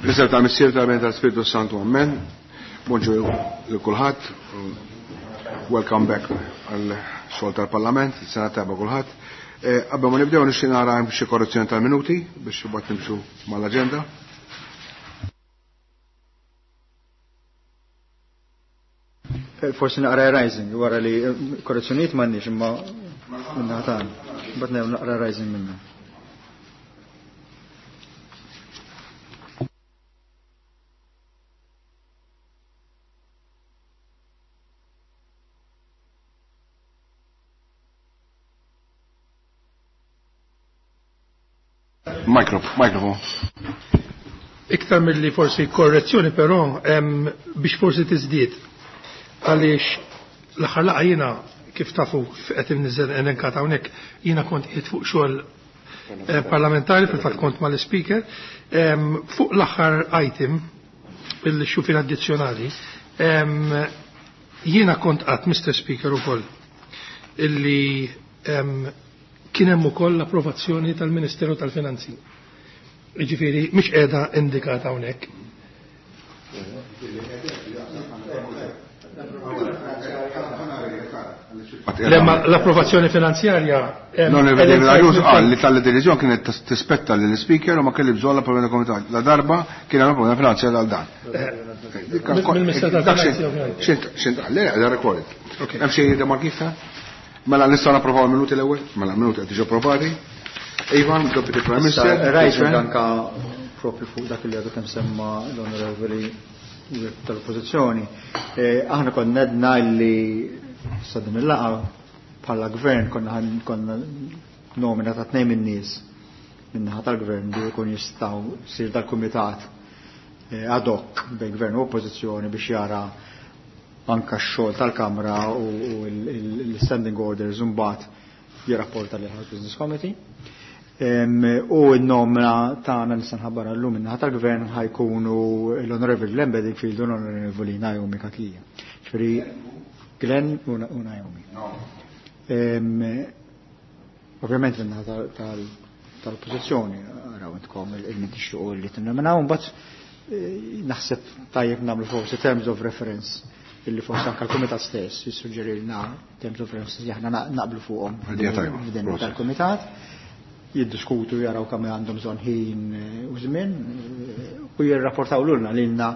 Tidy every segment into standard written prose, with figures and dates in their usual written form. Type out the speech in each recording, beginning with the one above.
Nisem tal-Missier tal-Ben tal-Spiritu Santu, Amen. Bonġu lil kulħadd. Welcome back għal xogħol tal-Parlament, sena tajba kulħadd. Qabel ma nibdew nixtieq nara hemm xi korrezzjoni tal-minuti biex imbagħad nimxu mal-aġenda. Forsi naqra rising wara li korrezzjonijiet m'għandniex imma minna tagħna. Mbagħad naqra rising minna. Mikrofon. Iktar mill-li forsi korrezzjoni però biex forsi tiżdied għaliex l-aħħar laqgħa jiena kif tafu qed inniżel elenkat hawnhekk jiena kont qiegħed fuq xogħol parlamentari fil-fatt kont mal-speaker fuq l-aħħar item il-xufir addizzjonali jiena kont qatt Mr. Speaker ukoll illi kien hemm ukoll l-approvazzjoni tal-Ministeru tal-Finanzi. Jiġifieri mhix qiegħda indikata hawnhekk. L-approvazzjoni finanzjarja. L-Onorevoli qal li tal-deċiżjoni kienet tispetta lill speaker u ma kelli bżonn l-approvazzjoni komitat. La darba kien hemm approvazzjoni finanzjarja għal dan. Mill-Ministeru tal-Finanzi ovvjament. Xint qal, le, da recorded. Hemm xi remarki? Mela nistgħu napprovaw il-minuti l-ewwel? Mela minuti qed jiġu approvati. Ivan, Deputy Prime Minister. Rising anka propju fuq dak li għadu kemm semma l-Onorevoli tal-Oppożizzjoni. Aħna konna nedna li sa din il-laqgħa bħala gvern konna konna nomina ta' tnejn min-nies min-naħa tal-gvern li jkun jistgħu jsir dal-kumitat ad hoc bejn gvern u oppożizzjoni biex jara anka x-xogħol tal-Kamra u l-standing orders u mbagħad jirrapporta lil House Business Committee. U n-nomina tagħna nista' nħabbar llum min-naħa tal-gvern ħajkunu l-Onorevoli Glenn Bedingfield u l-Onorevoli Naomi Cachia. Ġifieri Glenn u Naomi. Ovvjament min-naħa tal-oppożizzjoni araw intkom il-min tixtiequ li tinnominaw, mbagħad naħseb tajjeb nagħmlu forsi terms of reference illi forsi anke l-kumitat stess jissuġġerilna terms of reference li aħna naqblu fuqhom f'din tal-kumitat. Jiddiskutu jaraw kemm għandhom bżonn ħin u żmien u jirrapportaw lulna lilna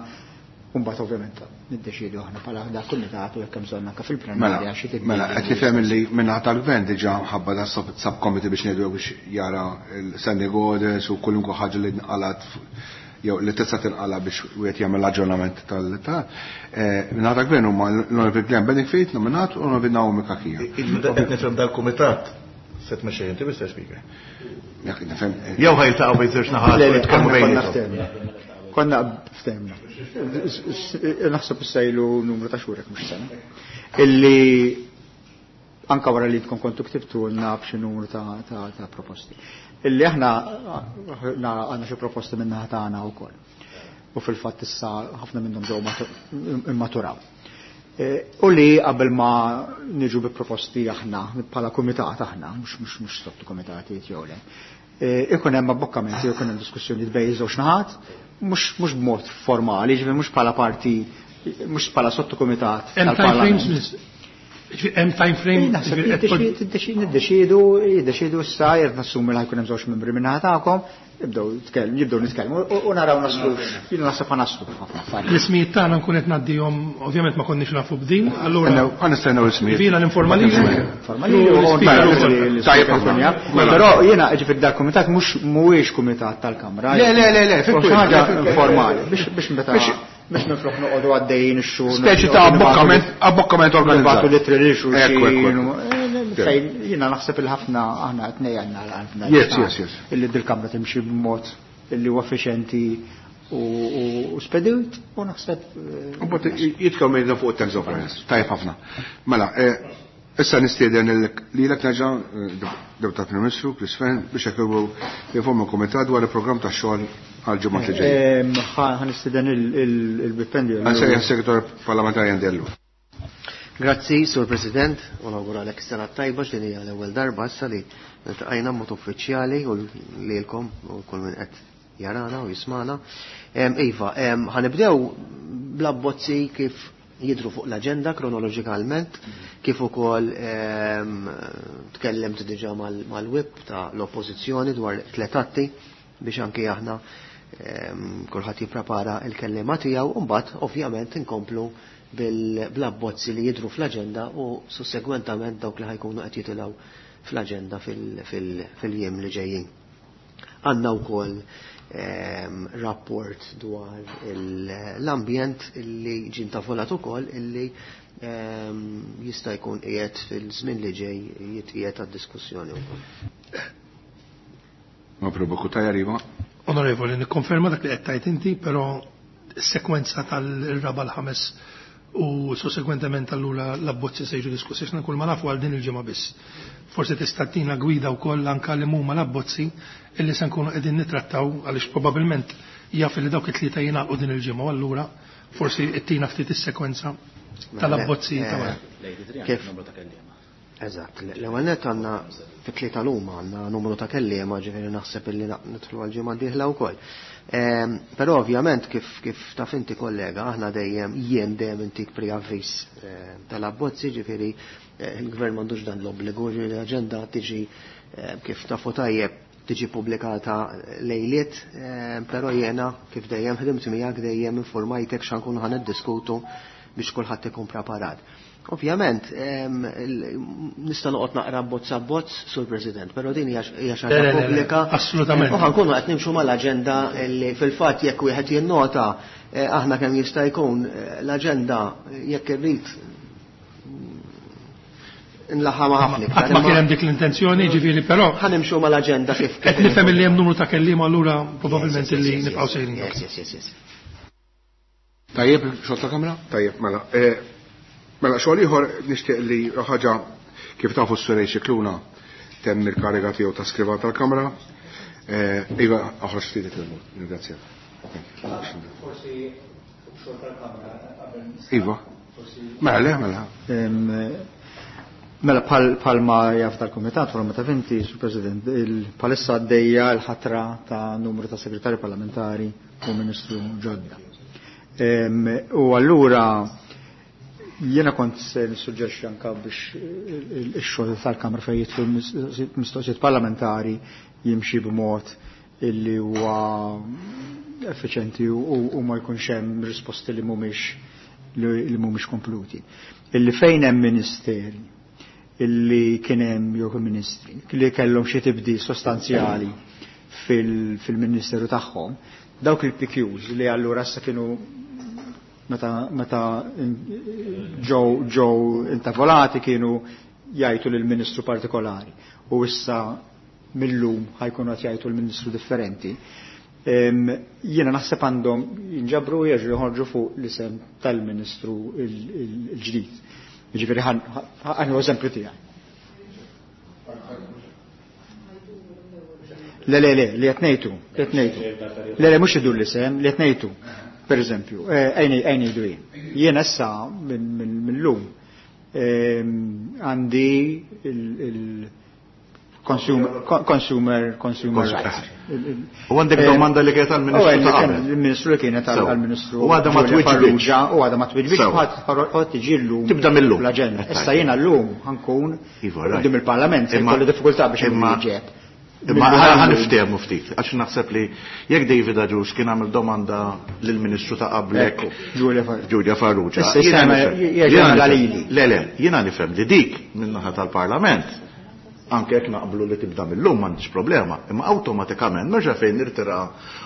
u mbagħad ovvjament niddeċiedu aħna bħala dak kumitat u jekk hemm bżonn anke fil-plenarja xi tibdil. Mela qed nifhem illi min-naħa tal-gvern diġà mħabba da subcommittee biex ngħidu biex jara l-standing orders u kwalunkwe ħaġa li nqalat jew li tista' tinqala biex wieħed jagħmel aġġornament tal-ta' min-naħa tal-gvern huma l-Onorevoli Glenn Bedingfield nominat u l-Onorevoli Naomi Cachia. Qed nifhem dal-kumitat se tmexxej inti Mr. Speaker. Jekk nifhem. Jew ħajltaqgħu bejn żewġ naħat u jitkellmu bejniethom. Konna ftehmna. Naħseb issejlu numru ta' xhur jekk mhux sena. Illi anka wara li tkun kontu ktibtulna b'xi numru ta' proposti. Illi aħna għandna xi proposti min-naħa tagħna wkoll. U fil-fatt issa ħafna minnhom ġew immaturaw. U li qabel ma niġu bi proposti aħna bħala kumitat aħna, mhux sotto kumitati jew le. Ikun hemm abbokkamenti, ikun hemm diskussjonijiet bejn żewġ naħat, mhux b'mod formali, ġifieri mhux bħala parti, mhux bħala sottokumitat Hemm time tal-Parlament. frames, hemm time frame, Naħseb ġifieri qed niddeċiedu, jiddeċiedu issa, jekk nassumi li ħajkun hemm żewġ membri minn naħa tagħkom, jibdew nitkellmu u naraw naslu, jiena naħseb ħa naslu f'ħafna affarijiet. L-ismijiet tagħna nkun qed ngħaddihom, ovvjament ma konniex nafu b'din, allura Ħa nistennew l-ismijiet. Ġifieri ninforma lilek. Informa lilek, u L-ispeaker nforma ukoll. lil Tajjeb l-ispeaker ħafna. ikun jaf. Mela. Però jiena ġifieri dal-kumitat mhuwiex kumitat tal-Kamra. Le, le, le, le, Forsi ħaġa fil-kwil. informali, biex meta biex minflok noqogħdu għaddejjin ix-xhur. Speċi ta' abbokkament organizzat. Nibgħatu litri lil xulxin. Ekku, ekku, ekku. Fejn jiena naħseb il-ħafna aħna qed ngħidna għal-qalbna. Yes, yes, yes. Illi dil-Kamra timxi b'mod illi huwa effiċjenti u spedut u naħseb, U mbagħad jitkellmu minn fuq it-terms of reference. Tajjeb ħafna. Mela, issa nistieden lilek nerġa', Deputat Prim Ministru Chris Fearne biex hekk jinforma l-Kumitat dwar il-programm tax-xogħol għal ġimgħat li ġejjin. Ħa nistieden il-Bipendi. Għan segretar parlamentari Andellu. Grazzi, Sur President, u nawguralek sena tajba x'din hija l-ewwel darba issa li ltqajna mod uffiċjali u lilkom u kull min qed jarana u jismana. Iva, ħanibdew bl-abbozzi kif jidru fuq l-aġenda kronoloġikalment, kif ukoll tkellimt diġà mal-whip ta' l-oppożizzjoni dwar tletatti biex anki aħna kulħadd jipprepara l-kelliema tiegħu u mbagħad ovvjament inkomplu bl-abbozzi li jidru fl-aġenda u sussegwentament dawk li ħajkunu qed jitilgħu fl-aġenda fil-jiem li ġejjin. Għandna wkoll rapport dwar l-ambjent illi ġie ntavolat ukoll illi jista' jkun qiegħed fil-żmien li ġej jitqiegħed għad-diskussjoni wkoll. Mabruba Cutajar, Iva. Onorevoli, nikkonferma dak li qed tgħid inti, però s-sekwenza tal-raba' l-ħames u sussegwentement allura l-abbozzi se jiġu diskussi x'na kull ma nafu għal din il-ġimgħa biss. Forsi tista' tina gwida wkoll anke li huma l-abbozzi illi se nkunu qegħdin nittrattaw għaliex probabbilment jaf li dawk it-tlieta jingħalqu din il-ġimgħa u allura forsi ttina ftit is-sekwenza tal-abbozzi ta' wara. Kif? Eżatt, l-ewwel nett għandna fit-tlieta l-huma għandna numru ta' kelliema, ġifieri naħseb illi nidħlu għall-ġimgħa d-dieħla wkoll. Però ovvjament kif kif taf inti kollega, aħna dejjem jien dejjem intik preavviż tal-abbozzi, ġifieri il-gvern m'għandux dan l-obbligu, ġifieri l-aġenda tiġi kif tafu tajjeb tiġi pubblikata lejliet, però jiena kif dejjem ħdimt miegħek dejjem informajtek x'ankunu ħa niddiskutu biex kulħadd ikun preparat. Ovvjament, nista' noqgħod naqra bozz abbozz, Sur President, però din hija xi ħaġa pubblika. Assolutament. U ħankunu qed nimxu mal-aġenda li fil-fatt jekk wieħed jinnota aħna kemm jista' jkun l-aġenda jekk irrid nlaħħamha ħafna iktar. Qatt ma kien hemm dik l-intenzjoni, ġifieri però ħanimxu mal-aġenda kif qed nifhem li hemm numru ta' kelliema allura probabbilment li nibqgħu sejrin. Yes, yes, yes, yes. Tajjeb, xogħol ta' kamra? Tajjeb, mela. Mela, xogħol ieħor nixtieq li ħaġa kif tafu s-Surej Scicluna temm il-kariga tiegħu ta' skrivan tal-Kamra. Iva, oħroġ ftit il-mod, ringrazzjak. Forsi xogħol tal-Kamra qabel nista' Iva. Mela, le, mela. Mela, bħalma jaf tal-Kumitat, bħalma taf inti, Sur President, palissa għaddejja l-ħatra ta' numru ta' segretari parlamentari u ministru ġodda. U allura jiena kont se nissuġġerixxi anka biex ix-xogħol tal-Kamra fejn jidħlu mistoqsijiet parlamentari jimxi b'mod illi huwa effiċenti u ma jkunx hemm risposti li mhumiex kompluti. Illi fejn hemm ministeri illi kien hemm jew ministri li kellhom xi tibdil sostanzjali fil-ministeru tagħhom, dawk il-PQs li allura issa kienu meta ġew intavolati kienu jgħidu lil ministru partikolari u issa millum ħajkunu qed jgħidu l-ministru differenti. Jiena naħseb għandhom jinġabru u jerġgħu joħorġu fuq l-isem tal-ministru il-ġdid. Jiġifieri ħan eżempju tiegħi. Le, le, le, li qed ngħidu, li qed ngħidu. Le, le, mhux idur l-isem, li qed ngħidu. Per eżempju, għajni jdu jien. Jien issa minn lum għandi il-consumer rights. U għandek domanda li kienet għall-Ministru ta' qabel. Il-Ministru li kienet għall-Ministru U għadha ma Giulia twiġbitx. Farrugia, u għadha ma twiġbitx, ħadd tiġi llum Tibda mill-lum. l-aġenda. Issa jiena llum ħankun Iva, right. quddiem il-Parlament, se jkolli diffikultà biex inwieġeb. Imma ħa niftehmu ftit, għax naħseb li jekk David Agius kien għamel domanda lill-Ministru ta' qablek, Ekku, Giulia Farrugia. Giulia Farrugia. Issa Jiena jista' nifhem. jerġa' Jiena jagħmel nifhem. lili. Le, le, jiena nifhem li dik min-naħa tal-Parlament, anke jekk naqblu li tibda mill-lum m'għandix problema, imma awtomatikament nerġa' fejn nirtira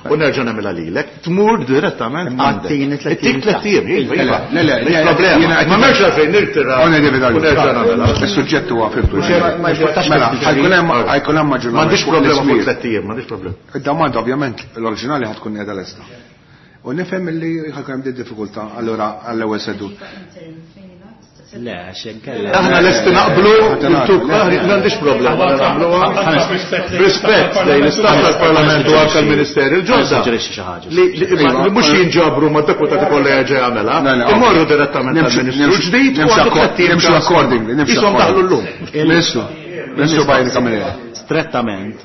u nerġa' nagħmilha lilek, tmur direttament Imma għandek. t-tieni tliet It-tik ijiem tliet ijiem, iva, iva. Le, le, Mhix le, problema. jiena qed Ma m'hemmx għalfejn nirtira Ona David u Agius. nerġa' nagħmilha. Is-suġġett huwa fimtu. Ma jportax Mela, fil-ġuri. ħajkun hemm maġġoranza M'għandix fuq problema fuq l-ismir. tliet ijiem, m'għandix problema. Id-domanda ovvjament l-oriġinali ħatkun qiegħda lesta. U nifhem li ħajkun hemm din diffikultà allura għall-ewwel sedu. Le, għax inkella. Aħna lesti naqblu, intu, m'għandix problema, naqbluha. Rispett lejn l-istat tal-Parlament u anke l-Ministeri l-ġodda. Nissuġġerixxi xi ħaġa. Li mhux jinġabru ma' deputati kollha jerġa' jagħmilha, Le, le, imorru direttament għall-Ministru ġdid u għandu tliet ijiem Nimxu ċans. accordingly, nimxu Ishom daħlu llum. Ministru, Ministru Bajri Camilleri. Strettament,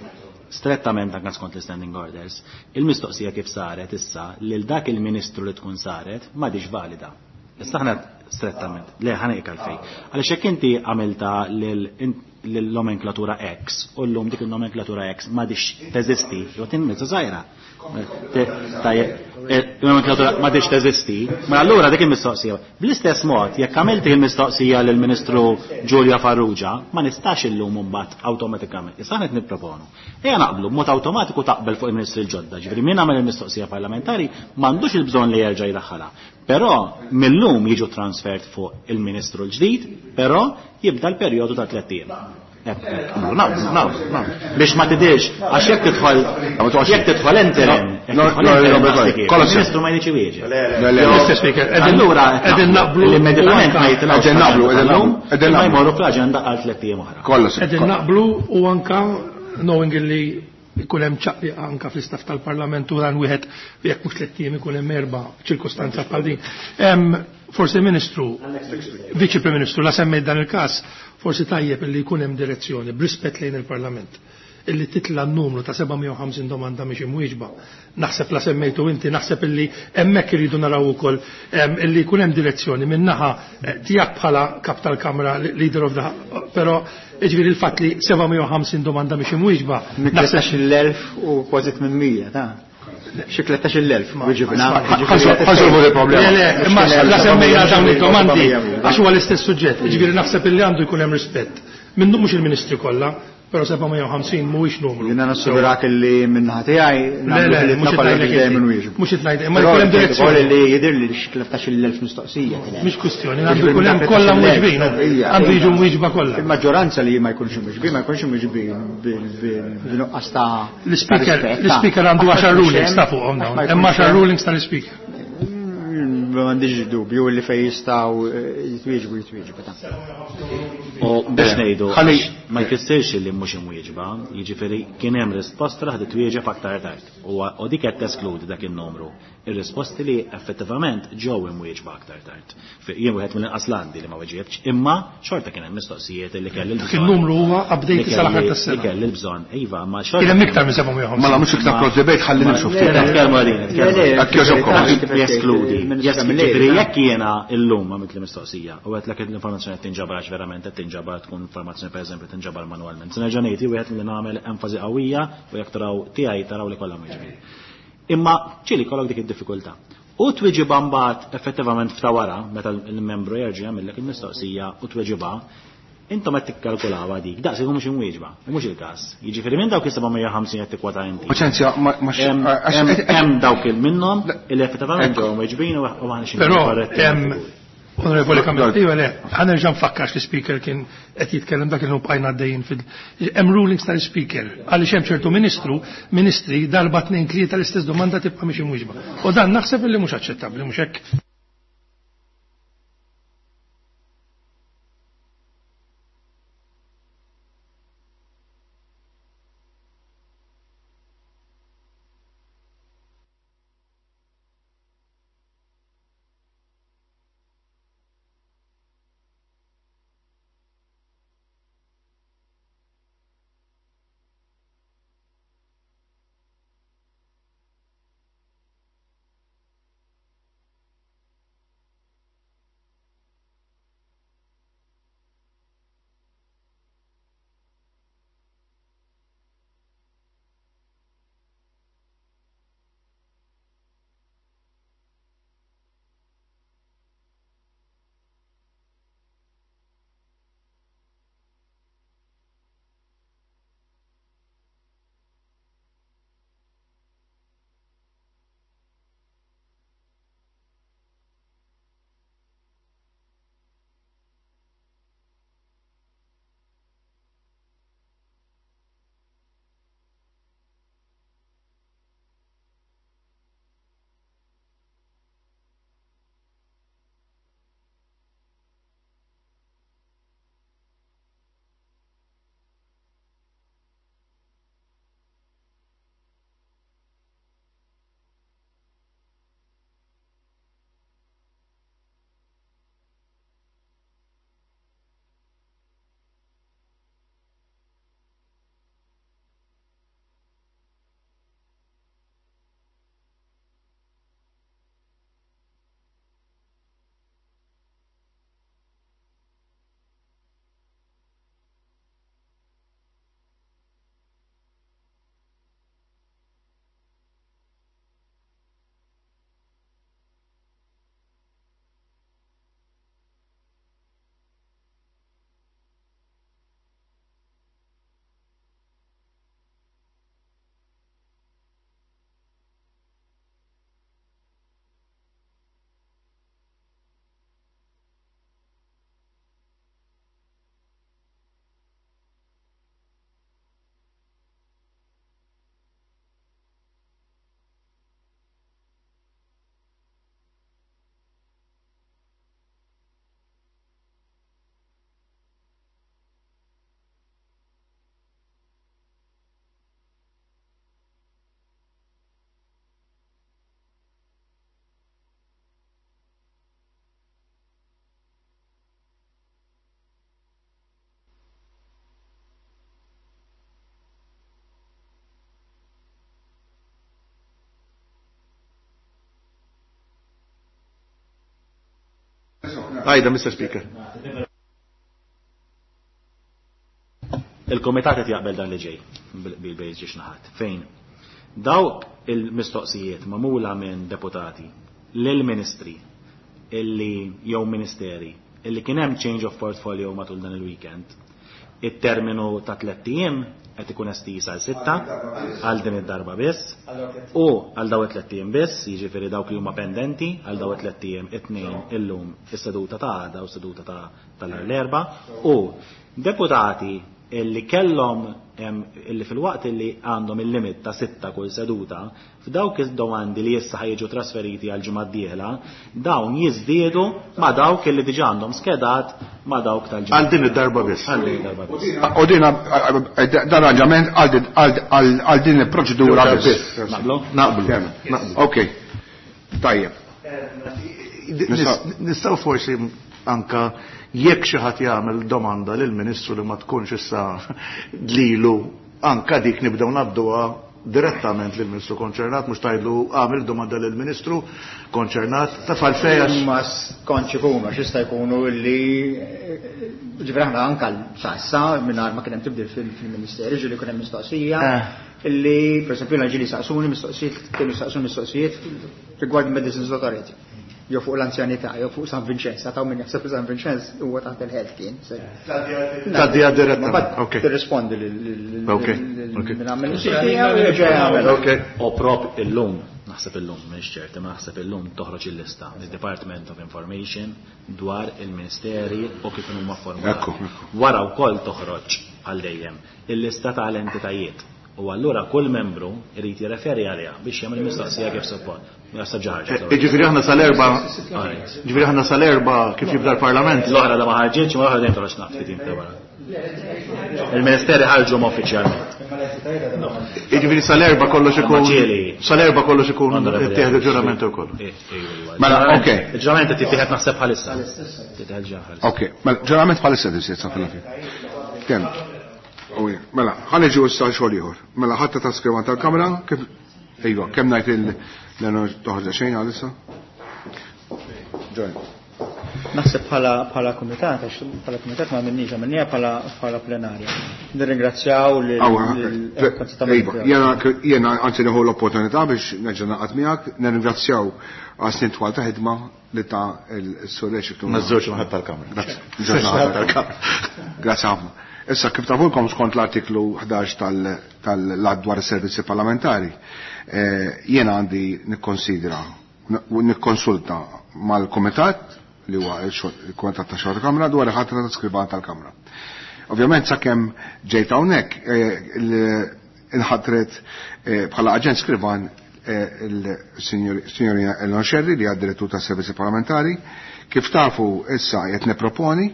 Strettament anke skont l-standing orders, il-mistoqsija kif saret issa lil dak il-ministru li tkun saret m'għadix valida. Issa aħna strettament, le ħa ngħidlek għalfejn. Għaliex jekk inti għamilta lil-nomenklatura X u llum dik il-nomenklatura X m'għadix teżisti, jew tinmizza żgħira. Il-nomenklatura m'għadix teżisti, ma allura dik il-mistoqsija. Bl-istess mod, jekk għamilt il-mistoqsija lill-Ministru Julia Farrugia, ma nistax illum imbagħad awtomatikament. Issa qed nipproponu. Ejja naqblu b'mod awtomatiku taqbel fuq il-Ministri l-ġodda, ġifieri min għamel il-mistoqsija parlamentari m'għandux il-bżonn li jerġa' jdaħħalha. Però millum jiġu transfert fuq il-Ministru l-ġdid, però jibda l-perjodu ta' 3 ijiem. Naqblu. Biex ma tidirx, għax jekk tidħol jekk tidħol interim, il-Ministru ma jridx iwieġeb. Mr. Speaker, Allura qegħdin naqblu immedjatament ma jitilgħux. Qegħdin naqblu, qegħdin Ma jmorru fl-aġenda għal 3 ijiem oħra. Kollox. Qegħdin naqblu u anka knowing illi ikun hemm ċaqliqa anka fl-istaff tal-Parlament u dan wieħed jekk mhux 3 ijiem ikun hemm 4 ċirkustanza bħal din. Forsi Ministru, Viċi Prim Ministru, la semmejt dan il-każ, forsi tajjeb illi jkun hemm direzzjoni b'rispett lejn il-Parlament illi titla n-numru ta' 750 domanda mhix imwieġba. Naħseb la semmejtu inti, naħseb illi hemmhekk iridu naraw ukoll illi jkun hemm direzzjoni min-naħa tiegħek bħala kap tal-Kamra, leader of the, però jiġifieri il-fatt li 750 domanda mhix imwieġba. Naħseb 13,000 u kważi 800, ta' xi 13,000, wieġibna. Ħansolvu il-problema. Le, imma la semmejna dawn id-domandi għax huwa l-istess suġġett. Jiġifieri naħseb illi għandu jkun hemm rispett. Minnu mhux il-ministri kollha, però 750 mhuwiex numru. Jiena nassigurak illi min-naħa tiegħi Le, le, nagħmlu mhux ħilitna kollha qed biex dejjem inwieġbu. Mhux qed ngħid, imma jkun hemm direzzjoni. Li jidher li xi 13,000 mistoqsija kien hemm. Mhix kwistjoni, għandu jkun hemm kollha mwieġbin, għandu jiġu mwieġba kollha. Il-maġġoranza li ma jkunx imwieġbin, ma jkunx imwieġbin bil-nuqqas ta' L-speaker għandu 10 rulings ta' fuqhom dawn. Hemm 10 rulings tal-speaker. M'għandix dubju li fejn jistgħu jitwieġbu jitwieġbu ta'. U biex ngħidu, Ħalli ma jfissirx li mhux imwieġba, jiġifieri kien hemm risposta li ħadet twieġeb aktar tard. U dik qed teskludi dak in-numru. Ir-risposti li effettivament ġew imwieġba aktar tard. Jien wieħed mill-inqas landi li ma weġibx, imma xorta kien hemm mistoqsijiet li kelli Dak l-bżonn. il-numru huwa update sal-aħħar tas-sena. Li kelli l-bżonn, iva, ma xorta. Kien hemm iktar minn 750. Mela mhux iktar cross debate ħalli nimxu ftit. Nitkellmu għalin, nitkellmu. Jekk jogħġobkom. Jeskludi. Jeskludi. Jekk jiena illum għamilt li mistoqsija u għedtlek l-informazzjoni qed tinġabar għax verament qed tinġabar tkun informazzjoni pereżempju tinġabar manwalment. Se nerġa' ngħid wieħed li nagħmel enfasi qawwija u jekk taraw tiegħi taraw li kollha mwieġbin. Imma ċili kollok dik id-diffikultà. U tweġiba mbagħad effettivament f'ta' wara meta l-membru jerġa' jagħmellek il-mistoqsija u tweġiba, intom qed tikkalkulawha dik, daqs ikun mhux imwieġba, u mhux il-każ. Jiġifieri minn dawk is-750 qed tikkwota inti. Paċenzja, ma Hemm dawk il minnhom li effettivament ġew imweġbin u aħna xi Però hemm Onorevoli Kamil, iva le, ħa nerġa' nfakkar li speaker kien qed jitkellem dak il bqajna għaddejjin fil hemm rulings tal-speaker għaliex hemm ċertu ministri darba 2 3 l-istess domanda tibqa' mhix imwieġba. U dan naħseb li mhux aċċettabbli, mhux hekk. Għajda, Mr. Speaker. Il-komitat qed jaqbel dan li ġej bil-bejn ġiex naħat. Fejn? Dawk il-mistoqsijiet magħmula minn deputati lill-ministri illi jew ministeri illi kien hemm change of portfolio matul dan il-weekend. It-terminu ta' 3 ijiem qed ikun estiż għal 6 għal din id-darba biss u għal daw it-tliet ijiem biss, jiġifieri dawk li huma pendenti għal daw it-tliet ijiem it-tnejn illum is-seduta ta' għada u s-seduta ta' tal-Erbgħa u deputati illi kellhom illi fil-waqt illi għandhom il-limit ta' 6 kull seduta, f'dawk id-domandi li issa ħajġu trasferiti għal ġimgħa d-dieħla, dawn jiżdiedu ma' dawk illi diġà għandhom skedat ma' dawk tal-ġimgħa. Għal din id-darba biss. Għal din id-darba biss. U din dan arranġament għal din il-proċedura biss. Naqblu? Naqblu. Ok. Tajjeb. Nistgħu forsi anka jekk xi ħadd jagħmel domanda lill-Ministru li ma tkunx issa lilu, anka dik nibdew ngħadduha direttament lill-Ministru konċernat, mhux tgħidlu għamel domanda lill-Ministru konċernat, taf għalfejn għax Ma kontx ikunu, għax jista' jkunu li ġifieri aħna anka sa issa mingħajr ma kien hemm tibdil fil-Ministeri, ġieli kien hemm mistoqsija illi pereżempju jiena ġieli saqsuni mistoqsijiet, kienu saqsuni mistoqsijiet rigward Medicines Authority. Jew fuq l-anzjanità, jew fuq San Vincenz, għataw min jaħseb li San Vincenz huwa taħt il-health kien. Tgħaddiha direttament. Ma bad Ok. tirrispondi Ok, ok. min għamel mistoqsija u jerġa' jagħmel. Ok. U prop illum, naħseb illum, m'iniex ċert, imma naħseb illum toħroġ il-lista, il-Department of Information dwar il-Ministeri u kif huma formati. Ekku, ekku. Wara wkoll toħroġ għal dejjem il-lista tal-entitajiet. U allura kull membru irid jirreferi għaliha biex jagħmel mistoqsija kif suppost. Naħseb ġa ħarġet. Jiġifieri aħna sal-erba', Alright. jiġifieri aħna sal-erba' kif jibda l-Parlament. L-oħra da ma ħarġitx, ma l-oħra dejjem toħroġ naqt ftit ta' wara. Il-Ministeri ħarġu ma uffiċjalment. Jiġifieri sal-erba' kollox ikun Ma ġieli. sal-erba' kollox ikun Onorevoli ittieħed Alex. il-ġurament ukoll. Eh, eh, Mela, ok. Il-ġurament qed jittieħed naħseb bħalissa. Tittieħed ġa bħalissa. Ok, mela ġurament bħalissa tisir sa fil-aħħar. Kemm? Uwi, mela, ħa niġu issa xogħol ieħor. Mela ħadd ta' skrivan tal-kamra kif Ejwa, kemm ngħid il toħroġ xejn għalissa? Join. Naħseb bħala kumitat, għax bħala kumitat ma għamilniex, għamilnieha bħala plenarja. Nirringrazzjaw Awa, lil Ejwa, jiena anzi nieħu l-opportunità biex nerġa' naqgħod miegħek, nirringrazzjaw għal snin twal ta' ħidma li ta' il-Sur Rexik. Ma' żewġ naħat tal-kamra. Grazzi. Żewġ naħat tal-kamra. Grazzi ħafna. Issa kif tafulkom skont l-artiklu 11 tal-Att dwar is-servizzi parlamentari, jiena għandi nikkonsidra u nikkonsulta mal-Kumitat li huwa il-Kumitat ta' Xogħol Kamra dwar il-ħatra ta' skrivan tal-Kamra. Ovvjament sakemm ġejt hawnhekk inħatret bħala aġent skrivan il-Signorina Eleanor Scerri li għad direttur tas servizzi parlamentari. Kif tafu issa qed nipproponi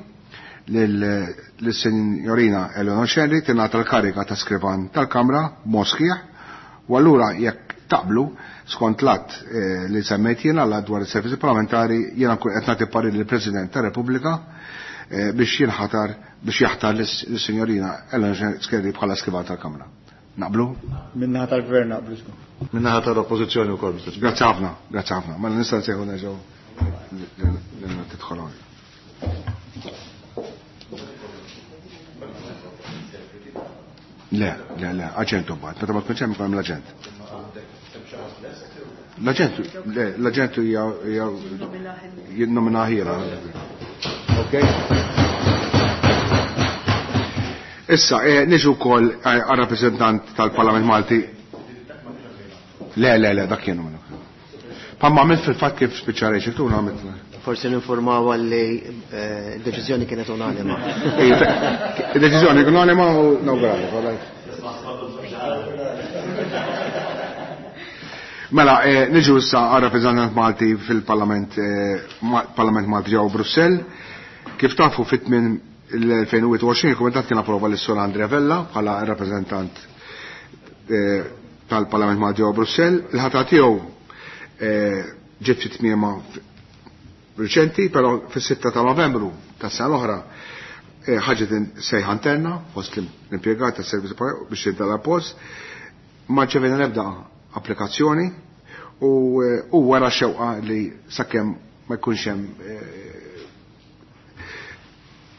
lill-Signorina Eleanor Scerri tingħata l-kariga ta' skrivan tal-Kamra b'mod sħiħ, u allura jekk taqblu skont l-att li semmejt jiena l-att dwar is-servizzi parlamentari, jiena nkun qed nagħti parir lill-President tar-Repubblika biex jinħatar biex jaħtar lis-Signorina Eleanor Scerri bħala skrivan tal-Kamra. Naqblu? Min-naħa tal-Gvern naqblu żgur. Min-naħa tal-Oppożizzjoni wkoll, Mister Speaker. Grazzi ħafna, grazzi ħafna. Mela nista' nsejħu nerġgħu tidħol hawn. Le, le, le, aġent imbagħad, meta ma tkunx hemm ikun hemm l-aġent. L-aġent, le, l-aġent hija jinnomina ħira. Ok? Issa, niġu wkoll għar-rappreżentant tal-Parlament Malti. Le, le, le, dak kienu minnu. Pamma għamilt fil-fatt kif spiċċa Rachel, tu għamilt. Forsi ninformaw għalli deċiżjoni kienet unanima. Deċiżjoni kienet unanima u nawgurali, all right. Mela, niġu issa għar-rappreżentant Malti fil-Parlament Parlament Malti ġewwa Brussell. Kif tafu fit-tmien l-2021 il-Kumitat kien approva lis-Sur Andrea Vella bħala rappreżentant tal-Parlament Malti ġewwa Brussell. Il-ħatra tiegħu ġiet fit-tmiema riċenti, però fis-6 ta' Novembru tas-sena l-oħra ħaġet sejħa interna fost l-impjegat tas-servizz biex jintala post. Ma ċevena l-ebda applikazzjoni u wara xewqa li sakemm ma jkunx hemm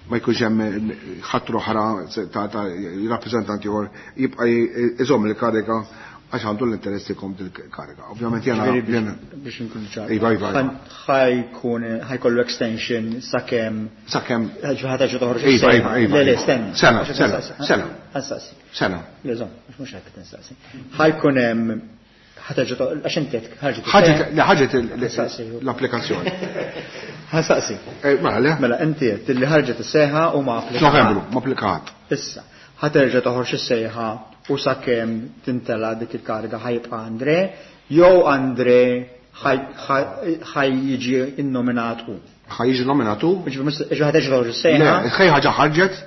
ma jkunx hemm ħadd oħra ta' rappreżentanti ieħor jibqa' iżomm il-kariga għax għandu l-interess ikom dil-kariga. Ovvjament jena. Biex nkun ċar. Iva, iva. Ħajkun ħajkollu extension sakemm. Sakemm. Ħaġa toħroġ. Iva, iva, iva. Le, le, stenna. Sena, sena, sena. Ħansaqsi. Sena. Le, żomm, mhux hekk qed nistaqsi. Ħajkun hemm ħaġa għax inti ħarġet. Ħaġet l-applikazzjoni. Ħansaqsi. Mela, le. Mela, inti qed li ħarġet is-seħa u ma applikat. Novembru, ma applikat. Issa, ħaterġa' toħroġ is-sejħa u sakemm tintela dik il-kariga ħajibqa' Andre, jew Andre ħaj jiġi innominat hu. Ħaj jiġi nominat hu? Ġifieri ħaterġa' toħroġ is-sejħa. Le, ħaj ħaġa ħarġet,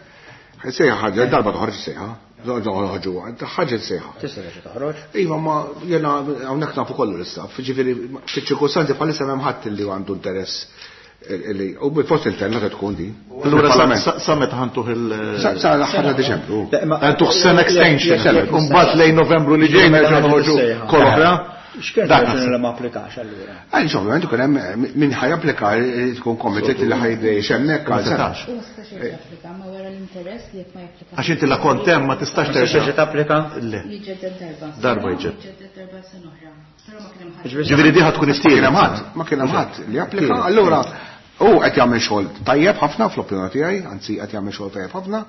sejħa ħarġet, darba toħroġ is-sejħa. Ħarġu, ħarġet sejħa. Tista' terġa' toħroġ. Iva, ma jena hawnhekk nafu kollu l-istaff, ġifieri fiċ-ċirkustanzi bħalissa m'hemm ħadd li għandu interess u fost interna se tkun din. Allura sa meta ħantuh il- Sa l-aħħar ta' Diċembru. Ħantuh sena extension. Imbagħad lejn Novembru li ġej nerġa' noħorġu kol oħra. X'kien raġuni li ma applikax allura? Għaliex ovvjament ikun hemm min ħaj applika tkun committed li ħajdejx hemmhekk għal sena. U ma setax japplika, ma wara l-interess li jekk ma japplikax. Għax inti la kont hemm ma tistax terġa' tapplika? Le. Jiġġedded darba. Darba jġedded. Jiġġedded darba sena oħra. Però ma kien hemm ħadd. Ġifieri di ħad tkun it-tielet. Ma kien hemm ħadd li applika, allura hu qed jagħmel xogħol tajjeb ħafna fl-opinjoni tiegħi, anzi qed jagħmel xogħol tajjeb ħafna.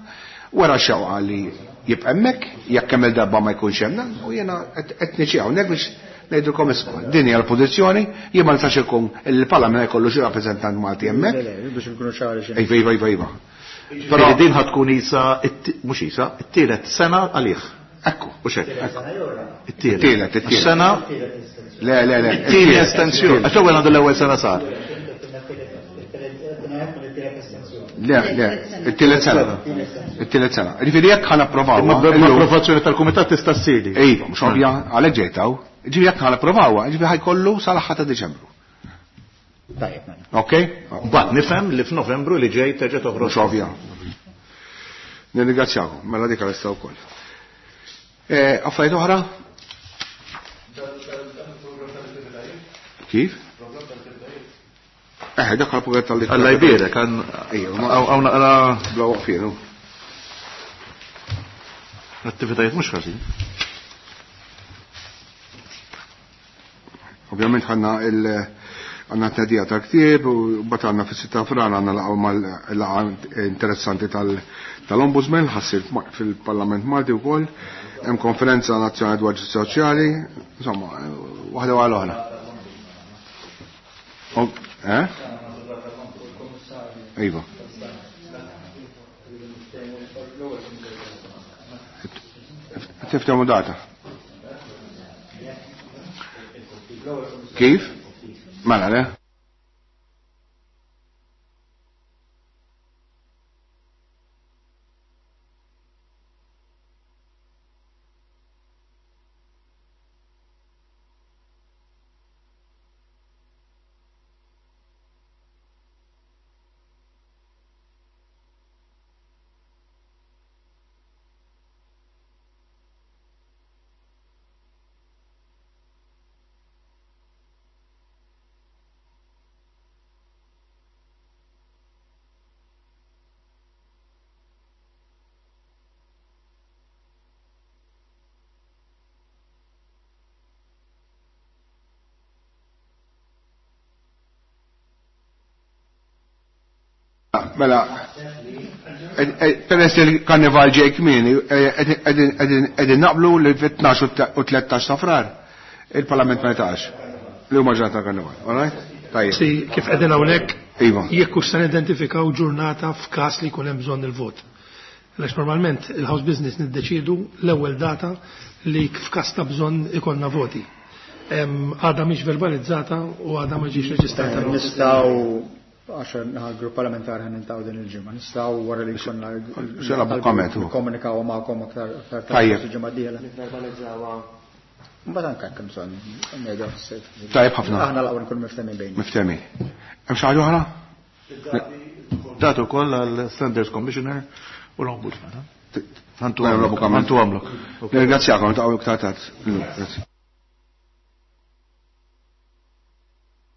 Wara xewqa li jibqa' hemmhekk, jekk kemm il-darba ma jkunx hemm, u jiena qed niġi hawnhekk biex ngħidulkom isma', din hija l-pożizzjoni, jien ma nistax ikun il-Parlament jkollu xi rappreżentant Malti hemmhekk. Le, le, biex inkunu ċari xi. Iva, iva, iva, iva. Però din ħad tkun isa, mhux isa, it-tielet sena għalih. Ekku, u xek. It-tielet. It-tielet, it-tielet. Sena. Le, le, le. It-tieni estensjoni. Għax ewwel għandu l-ewwel sena sar. Le, le, it-tielet sena. It-tielet sena. Ġifieri jekk ħa napprovaw. Imma bl-approvazzjoni tal-kumitat tista' ssir. Iva, mhux ovvja, għalhekk ġejtaw. Ġifieri jekk ħa napprovawha, ġifieri ħajkollu sal-aħħar ta' Diċembru. Tajjeb, mela. Ok? Mbagħad nifhem li f'Novembru li ġej terġa' toħroġ. Mhux ovvja. Nirringrazzjakom, mela dik għal wkoll. Affarijiet oħra? Kif? Dak għal-program tal Alla jbierek, hawn naqra bla waqfien. L-attivitajiet mhux ħażin. Ovvjament ħanna għandna t-tnedija tal-ktieb u mbagħad għandna fis-sitta frar għandna laqgħu mal-laqgħa interessanti tal-Ombudsman ħassir fil-Parlament Malti wkoll. Hemm konferenza nazzjonali dwar ġustizzja soċjali, insomma, waħda wara l-oħra. Eh? Iva. Tiftehmu data. Kif? Mela, le? Mela, peress li l-karnival ġej kmieni, qegħdin naqblu li fit-12 u 13 ta' frar il-Parlament ma jtax li huma ġurnata ta' karnival, all right? Tajjeb. Si kif qegħdin hawnhekk, Iva. jekk hux se nidentifikaw ġurnata f'każ li jkun hemm bżonn il-vot. Għaliex normalment il-house business niddeċiedu l-ewwel data li f'każ ta' bżonn ikollna voti. Għadha mhix verbalizzata u għadha ma ġiex reġistrata. Nistgħu għax naħa l-grupp parlamentari ħan niltaqgħu din il-ġimgħa. Nistgħu wara li jkollna Xela bukkamet, u. nikkomunikaw magħkom aktar aktar tard Tajjeb. il-ġimgħa d-dieħla. Nivverbalizzawha. Mbagħad anke hekk bżonn ngħidu fis-sejf. Tajjeb ħafna. Aħna l-aqwa nkunu miftehmin bejn. Miftehmin. Hemm xi ħaġa oħra? Datu wkoll għall-Standards Commissioner u l-Ombudsman. Mela, Ħantu għamlok. Nirringrazzjakom, niltaqgħu iktar tard. Grazzi.